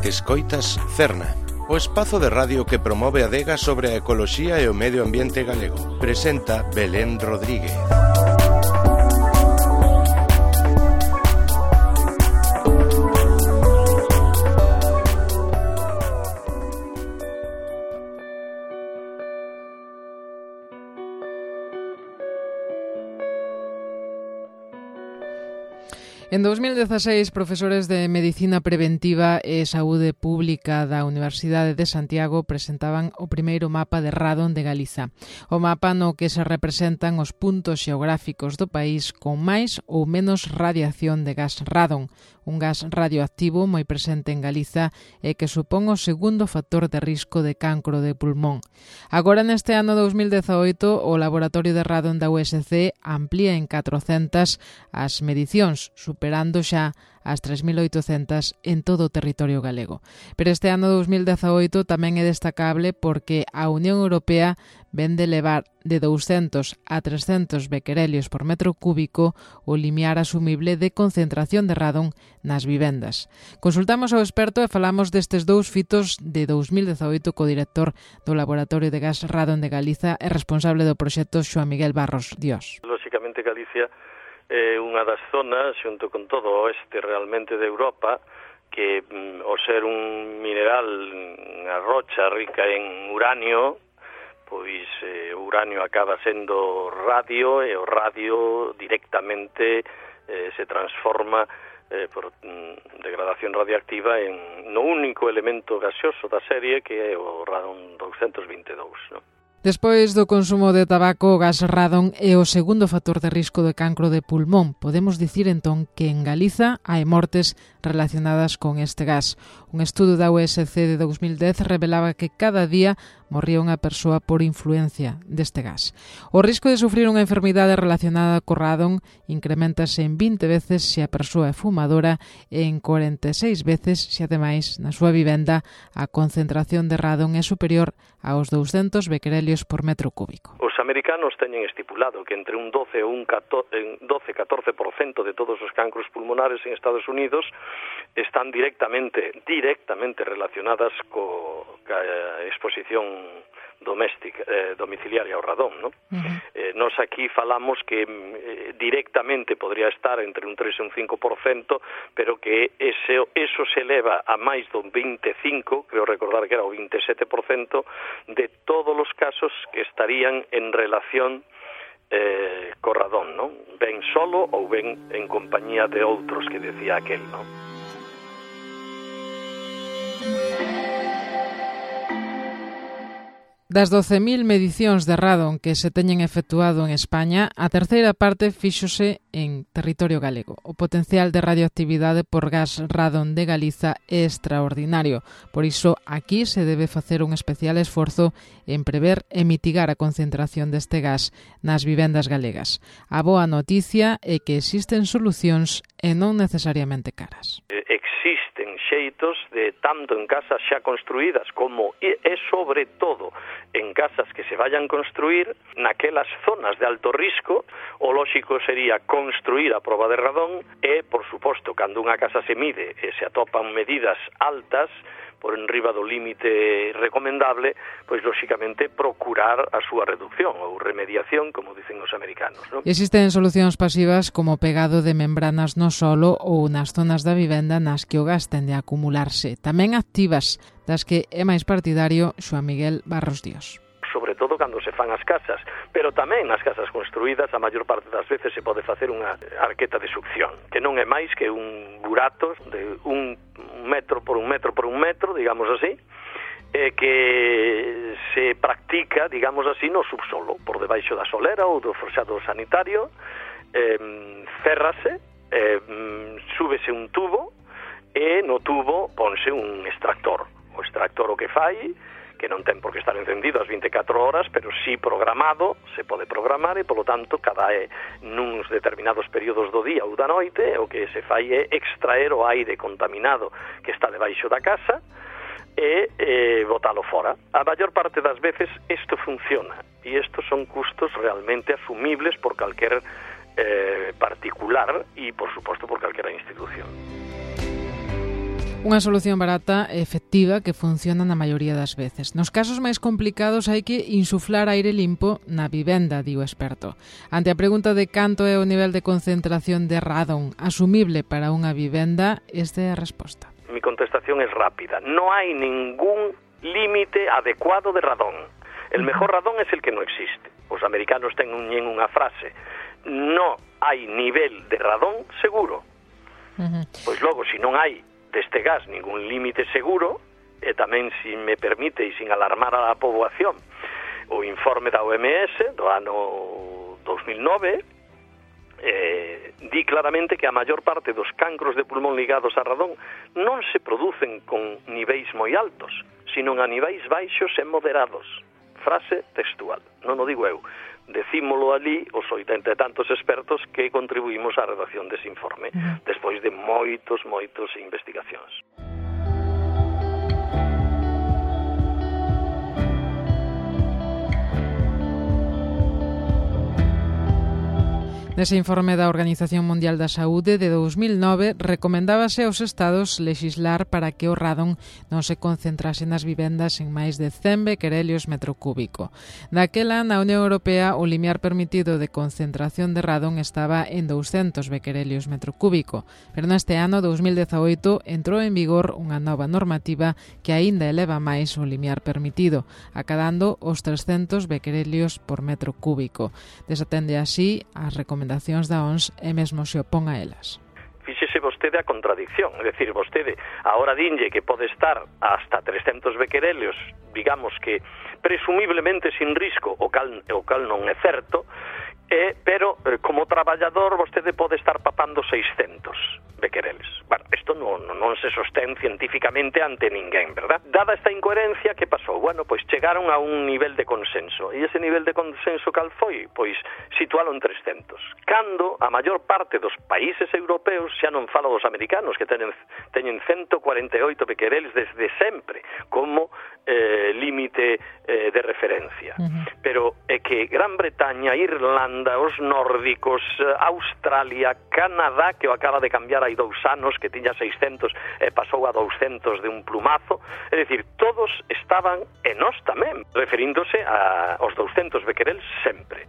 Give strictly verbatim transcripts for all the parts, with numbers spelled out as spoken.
Escoitas Cerna, o espazo de radio que promove a adega sobre a ecoloxía e o medio ambiente galego. Presenta Belén Rodríguez. En dos mil dezaseis, profesores de Medicina Preventiva e Saúde Pública da Universidade de Santiago presentaban o primeiro mapa de radon de Galiza. O mapa no que se representan os puntos xeográficos do país con máis ou menos radiación de gas radon, un gas radioactivo moi presente en Galiza e que supón o segundo factor de risco de cancro de pulmón. Agora, neste ano dos mil dezaoito, o Laboratorio de Radon da U S C amplía en catrocentas as medicións, superando xa as tres mil oitocentas en todo o territorio galego. Pero este ano dos mil dezaoito tamén é destacable porque a Unión Europea ven de levar de douscentos a trescentos bequerelios por metro cúbico o limiar asumible de concentración de radon nas vivendas. Consultamos ao experto e falamos destes dous fitos de dos mil dezaoito co director do Laboratorio de Gas Radon de Galiza e responsable do proxecto Xoán Miguel Barros Dios. Lóxicamente Galicia é unha das zonas, xunto con todo o oeste realmente de Europa, que mm, ao ser un mineral, unha rocha rica en uranio, pois eh, o uranio acaba sendo radio e o radio directamente eh, se transforma eh, por mm, degradación radioactiva en no único elemento gaseoso da serie que é o radon douscentos vinte e dous, non? Despois do consumo de tabaco, o gas radon é o segundo factor de risco de cancro de pulmón. Podemos dicir, entón, que en Galiza hai mortes relacionadas con este gas. Un estudo da U S C de dos mil dez revelaba que cada día morría unha persoa por influencia deste gas. O risco de sufrir unha enfermidade relacionada co radon incrementase en vinte veces se a persoa é fumadora e en cuarenta e seis veces se, ademais, na súa vivenda a concentración de radon é superior aos douscentos bequerelios por metro cúbico. Os americanos teñen estipulado que entre un doce ou un doce a catorce por cento de todos os cancros pulmonares en Estados Unidos están directamente directamente relacionadas co ca exposición doméstica, eh, domiciliaria ao radón, ¿no? Uh-huh. Eh, nos aquí falamos que eh, directamente podría estar entre un tres e un cinco por cento, pero que ese, eso se eleva a máis do veinticinco, creo recordar que era o veintisiete por cento de todos os casos que estarían en relación eh, co radón, ¿no? Ben solo ou ben en compañía de outros, que decía aquel, ¿no? Das doce mil medicións de radon que se teñen efectuado en España, a terceira parte fíxose en territorio galego. O potencial de radioactividade por gas radon de Galiza é extraordinario. Por iso, aquí se debe facer un especial esforzo en prever e mitigar a concentración deste gas nas vivendas galegas. A boa noticia é que existen solucións e non necesariamente caras. Existen xeitos de tanto en casas xa construídas como e, e sobre todo en casas que se vayan construir naquelas zonas de alto risco. O lóxico sería construir a proba de radón e, por suposto, cando unha casa se mide e se atopan medidas altas por enriba do límite recomendable, pois, lóxicamente, procurar a súa reducción ou remediación, como dicen os americanos, non? Existen solucións pasivas como pegado de membranas no solo ou nas zonas da vivenda nas que o gas tende a acumularse. Tamén activas, das que é máis partidario Xoán Miguel Barros Dios. Sobre todo cando se fan as casas, pero tamén nas casas construídas a maior parte das veces se pode facer unha arqueta de succión, que non é máis que un burato de un metro por un metro por un metro, digamos así, eh, que se practica, digamos así, no subsolo, por debaixo da solera ou do forxado sanitario, eh, cérrase, eh, súbese un tubo e no tubo ponse un extractor. O extractor o que fai, que non ten por que estar encendido as veinticuatro horas, pero sí programado, se pode programar e, polo tanto, cada é nuns determinados períodos do día ou da noite, o que se fai é extraer o aire contaminado que está debaixo da casa e eh, botalo fora. A maior parte das veces isto funciona e estos son custos realmente asumibles por calquer eh, particular e, por suposto, por calquera institución. Unha solución barata e efectiva que funciona na maioría das veces. Nos casos máis complicados hai que insuflar aire limpo na vivenda, di o experto. Ante a pregunta de canto é o nivel de concentración de radón asumible para unha vivenda, esta é a resposta. Mi contestación es rápida. No hay ningún límite adecuado de radón. El mejor radón es el que no existe. Os americanos teñen unha frase: no hai nivel de radón seguro. Uh-huh. Pois logo, se non hai deste gas ningún límite seguro, e tamén, se me permite, e sin alarmar a poboación, o informe da O M S do ano dos mil nove eh, di claramente que a maior parte dos cancros de pulmón ligados a radón non se producen con niveis moi altos, sino a niveis baixos e moderados. Frase textual, non o digo eu, decímolo ali os oitenta e tantos expertos que contribuímos á redacción dese informe, uh-huh. despois de moitos, moitos investigacións. Nese informe da Organización Mundial da Saúde de dous mil nove recomendábase aos estados lexislar para que o radón non se concentrase nas vivendas en máis de cen bequerelios metro cúbico. Daquela, na Unión Europea, o limiar permitido de concentración de radón estaba en douscentos bequerelios metro cúbico, pero neste ano, dous mil dezaoito, entrou en vigor unha nova normativa que aínda eleva máis o limiar permitido, acadando os trescentos bequerelios por metro cúbico. Desatende así as recomendacións da O M S e mesmo se opón a elas. Fíxese vostede a contradicción, é dicir, vostede agora dinlle que pode estar hasta trescentos bequerelios, digamos que presumiblemente sin risco, o cal, o cal non é certo, eh, pero eh, como traballador vostede pode estar papando seiscentos bequereles. Bueno, isto non, non se sostén científicamente ante ninguén, verdad? Dada esta incoherencia, que pasou? Bueno, pois chegaron a un nivel de consenso. E ese nivel de consenso cal foi? Pois situalo en trescentos. Cando a maior parte dos países europeos, xa non falo dos americanos, que teñen, teñen ciento cuarenta e oito bequereles desde sempre, como eh, límite eh, de referencia. Uh-huh. Pero é que Gran Bretaña, Irlanda, os nórdicos, Australia, Canadá, que o acaba de cambiar hai dous anos, que tiña seiscentos e pasou a douscentos de un plumazo, é dicir, todos estaban, e nós tamén, referíndose a, aos douscentos bequereles sempre.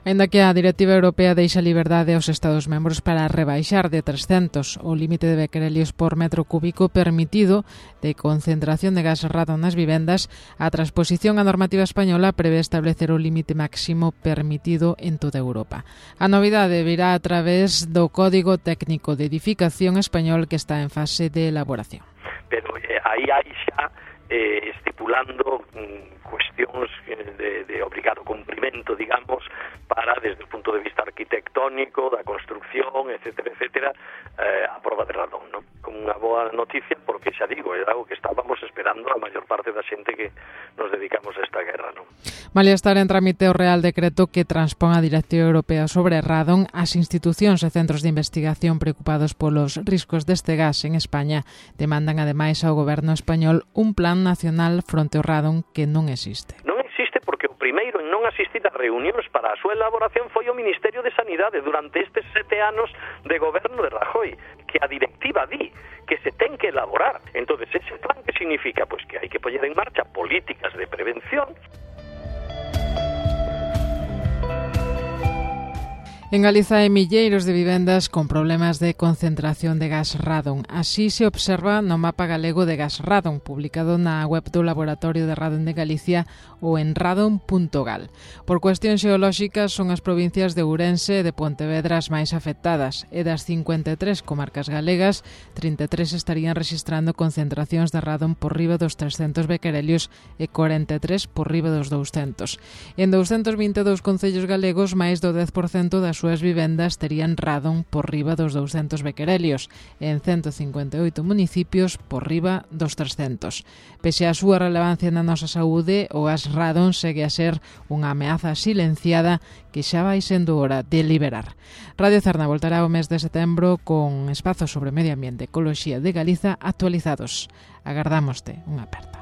Ainda que a Directiva Europea deixa liberdade aos Estados membros para rebaixar de trescentos o límite de bequerelios por metro cúbico permitido de concentración de gas radón nas vivendas, a transposición á normativa española prevé establecer o límite máximo permitido en toda Europa. A novidade virá a través do Código Técnico de Edificación español, que está en fase de elaboración. Pero eh, aí hai xa eh, estipulando mm, cuestións de, de obrigado cumprimento, digamos, para, desde o punto de vista arquitectónico, da construcción, etcétera, etcétera, eh, a prova de radón, non? Como unha boa noticia, porque xa digo, é algo que estábamos esperando a maior parte da xente que nos dedicamos a esta guerra, non? Malia estar en trámite o Real Decreto que transpón a Directiva Europea sobre radón, as institucións e centros de investigación preocupados polos riscos deste gas en España demandan ademais ao goberno español un plan nacional fronte ao radón que non existe. Non existe porque o primeiro en non asistir a reunións para a súa elaboración foi o Ministerio de Sanidade durante estes sete anos de goberno de Rajoy, que a directiva di que se ten que elaborar. Entonces, ese plan que significa? Pois que hai que poñer en marcha políticas de prevención. En Galiza hai milleiros de vivendas con problemas de concentración de gas radón. Así se observa no mapa galego de gas radón, publicado na web do Laboratorio de Radón de Galicia ou en radón punto gal. Por cuestións xeolóxicas, son as provincias de Ourense e de Pontevedra as máis afectadas, e das cincuenta e tres comarcas galegas, trinta e tres estarían rexistrando concentracións de radón por riba dos trescentos bequerelios e corenta e tres por riba dos douscentos. En douscentos vinte e dous concellos galegos, máis do dez por cento das súas vivendas terían radón por riba dos douscentos bequerelios e en ciento cincuenta e oito municipios por riba dos trescentos. Pese a súa relevancia na nosa saúde, o gas radón segue a ser unha ameaza silenciada que xa vai sendo hora de liberar. Radio Cerna voltará o mes de setembro con espazos sobre medio ambiente e ecoloxía de Galiza actualizados. Agardámoste unha aperta.